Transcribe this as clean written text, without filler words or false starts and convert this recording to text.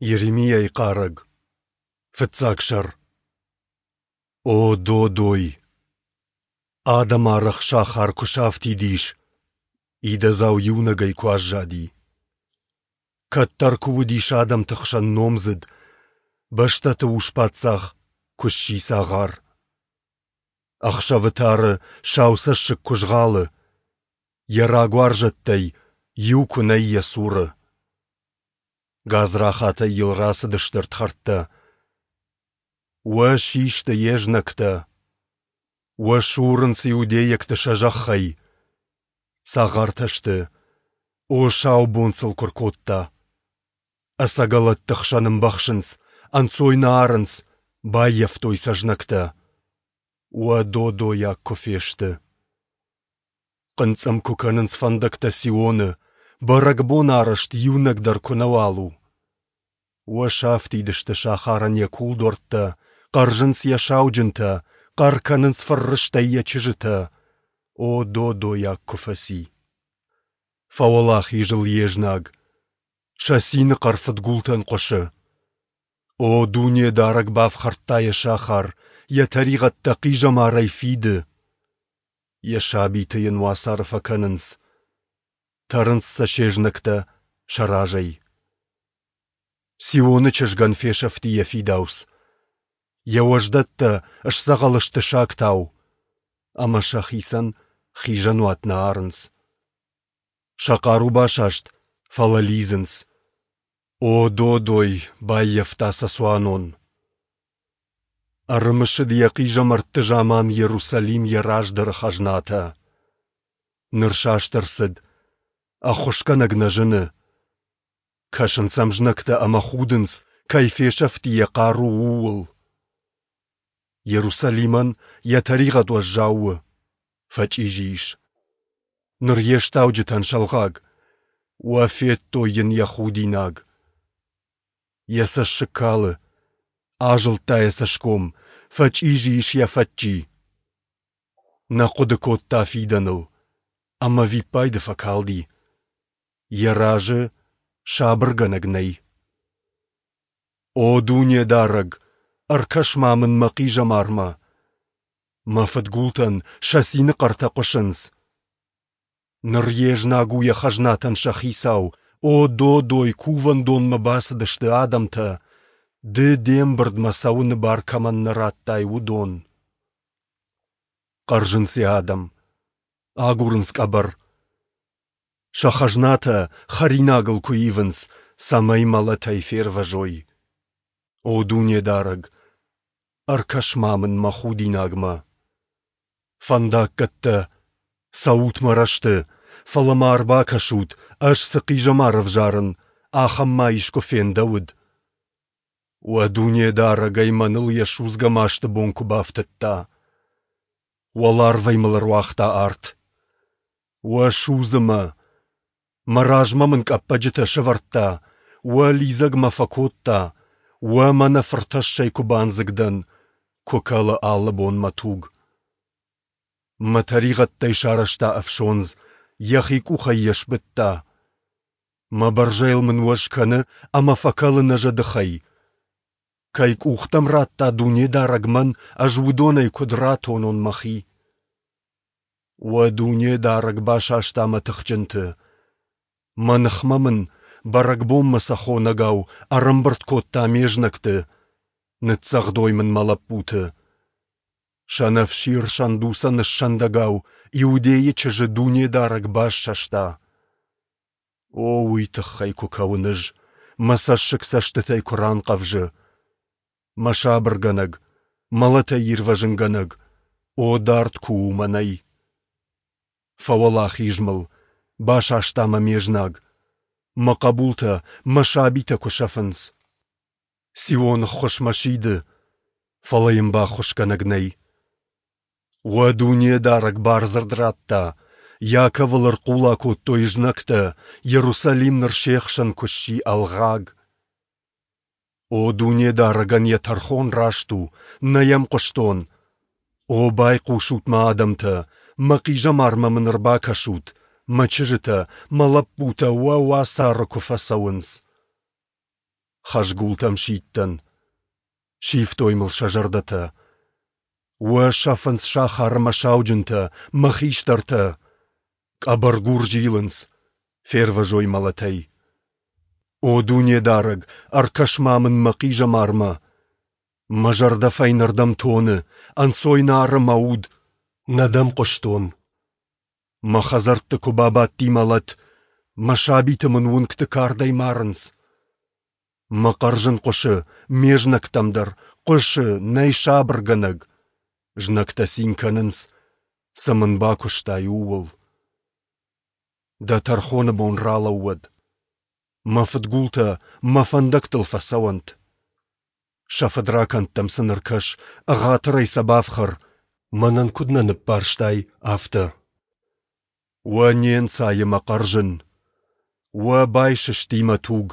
Йеремиайы хъарӕг. Фыццаг сӕр. О, додой! Адӕмарӕх сахар куы сафтид ис, идӕдзау иунӕгӕй куы аззади. Кӕддӕр куы уыдис адӕмты хсӕн номдзыд, бӕстӕты ус-паддзах куы сси цагъар. Ӕхсӕвы тары сау цӕссыг куы згъӕлы, йӕ рагуарзӕттӕй иу куы нӕй йӕ цуры. Гадзрахатӕй йыл рацыдысты ӕрдхӕрдтӕ. Уӕ систы йе знӕгтӕ! Уӕ сурынц иудейӕгты сӕ зӕххӕй! Цагъартӕ сты, о, сау бон сыл куы ркодта! Ӕцӕгӕлӕтты хсӕн ӕмбӕхсынц, ӕнцой нӕ арынц, баййӕфтой сӕ знӕгтӕ. Уӕ додойаг куы фесты! Хъынцъым куы кӕнынц фӕндӕгтӕ Сионы, бӕрӕгбон арӕзт иунӕг дӕр куы нӕуал у. Уӕ сафтид сты сахарӕн йӕ кулдуӕрттӕ, хъӕрзынц йӕ сауджынтӕ, хъӕр кӕнынц фыррыстӕй йӕ чызджытӕ. О, додойаг куы фӕци! Фӕуӕлахиз ыл йе знаг. Сӕ цины хъӕр фыдгултӕн хъуысы. О, Дунедарӕг бафхӕрдта йӕ сахар, йӕ тӕригъӕдтӕ хъизӕмарӕй фиды. Йӕ сабиты йын уацары фӕкӕнынц. Тӕрынц сӕ се знӕгтӕ сӕ разӕй. Сионы чызгӕн фесӕфти йӕ фидауц. Йӕ уӕздӕттӕ сдзӕгъӕл сты сагтау, ӕмӕ сӕхицӕн хизӕнуат нӕ арынц. Сӕ хъару басаст, фӕлӕ лидзынц. О, додой, баййӕфта сӕ цуанон. Ӕрымысыд йӕ хъизӕмӕртты заман Иерусалим йӕ раздӕры хӕзнатӕ. Ныр саст ӕрцыд, ӕххуысгӕнӕг нӕ зыны. Кӕсынц ӕм знӕгтӕ ӕмӕ худынц, кӕй фесӕфти йӕ хъару, ууыл. Иерусалимӕн йӕ тӕригъӕд уӕззау у, фӕчъизи ис. Ныр йе стауджытӕн сӕлгъаг, уӕ федтой йын йӕ худинаг. Йӕ цӕссыг кӕлы, азылдта йӕ цӕсгом, фӕчъизи ис йӕ фӕдджи. Нӕ хъуыды кодта фидӕныл, ӕмӕ виппайды фӕкалди. Йӕ разы сабыргӕнӕг нӕй. О Дунедарӕг, ӕркӕс-ма мын мӕ хъизӕмармӕ! Мӕ фыдгултӕн сӕ цины хъӕртӕ хъуысынц. Ныр йе знаг у йӕ хӕзнатӕн сӕ хицау. О, додой, кувӕндонмӕ бацыдысты адӕмтӕ, ды де мбырдмӕ цӕуыны бар кӕмӕн нӕ радтай, уыдон. Хъӕрзынц йӕ адӕм, агурынц къӕбӕр. Сӕ хӕзнатӕ хӕринагыл куы ивынц, цӕмӕй мӕлӕтӕй фервӕзой. О Дунедарӕг, ӕркӕс-ма мын мӕ худинагмӕ! Фӕндаггӕттӕ, цӕут мӕ рӕзты, фӕлӕ ма ӕрбакӕсут, ӕз цы хъизӕмар ӕвзарын, ахӕм ма искуы фендӕуыд? Уӕ Дунедарӕг ӕй мӕныл йӕ судзгӕ масты бон куы бафтыдта. Уӕларвӕй мыл ӕруагъта арт. Уӕ судзы мӕ! Мӕ размӕ мын къӕппӕджытӕ сӕвӕрдта, уӕ лидзӕг мӕ фӕкодта, уӕ мӕнӕ фыртӕссӕй куы бандзыг дӕн, куы кӕлы алы бон мӕ туг. Мӕ тӕригъӕдтӕй сарӕзта ӕфсондз, йӕхи къухӕй йӕ сбыдта. Мӕ бӕрзӕйыл мын уӕз кӕны ӕмӕ фӕкӕлы нӕ зӕдыхӕй. Кӕй къухтӕм радта Дунедарӕг мӕн, ӕз уыдонӕй куыд ратонон мӕхи? Уӕ Дунедарӕг басаста мӕ тыхджынты. Мӕ ныхмӕ мын, бӕрӕгбонмӕ сӕ хонӕгау, ӕрӕмбырд кодта ме знӕгты, ныццӕгъдой мын мӕ лӕппуты. Сӕнӕфсир сӕндуцӕн ссӕндӕгау Иудейы чызджы Дунедарӕг бассӕста. О, уый тыххӕй куы кӕуын ӕз, мӕ цӕссыг цӕстытӕй куы ранхъӕвзы. Мӕ сабыргӕнӕг, мӕлӕтӕй ирвӕзынгӕнӕг, о, дард куы у мӕнӕй. Фӕуӕлахиз мыл, басаста мӕ ме знаг. Мӕ хъӕбултӕ, мӕ сабитӕ куы сӕфынц. Сионы ххуысмӕ сиды, фӕлӕ йын баххуысгӕнӕг нӕй. Уӕ Дунедарӕг бардзырд радта, Иаковыл ӕрхъула кодтой знӕгтӕ, Иерусалим ныр се хсӕн куы сси ӕлгъаг. О Дунедарӕгӕн йӕ тӕрхон раст у, нӕ йӕм хъуыстон. О, байхъусут мӕ адӕмтӕ, мӕ хъизӕмармӕ мын ӕрбакӕсут, мӕ чызджытӕ, мӕ лӕппутӕ уӕ уацары куы фӕцӕуынц. Хӕзгултӕм сидтӕн. Сивтой мыл сӕ зӕрдӕтӕ. Уӕ сӕфынц сахары мӕ сауджынтӕ, мӕ хистӕртӕ. Къӕбӕргур зилынц, фервӕзой мӕлӕтӕй. О Дунедарӕг, ӕркӕс-ма мын мӕ хъизӕмармӕ! Мӕ зӕрдӕ фӕйнӕрдӕм тоны, ӕнцой нӕ ары мӕ уд. Нӕ дӕм хъуыстон. Мӕ хӕдзӕртты куы бабадти мӕлӕт, мӕ сабиты мын уынгты кардӕй марынц. Мӕ хъӕрзын хъуысы ме знӕгтӕм дӕр, хъуысы, нӕй сабыргӕнӕг. Знӕгтӕ цин кӕнынц, цы мын бакуыстай, ууыл. Дӕ тӕрхоны бон ралӕууӕд. Мӕ фыдгултӕ мӕ фӕндӕгтыл фӕцӕуӕнт. Сӕ фыдракӕндтӕм сын ӕркӕс, ӕгъатырӕй сӕ бафхӕр, мӕнӕн куыд нӕ ныббарстай, афтӕ. Уӕ не нцайы мӕ хъӕрзын! Уӕ байсысти мӕ туг!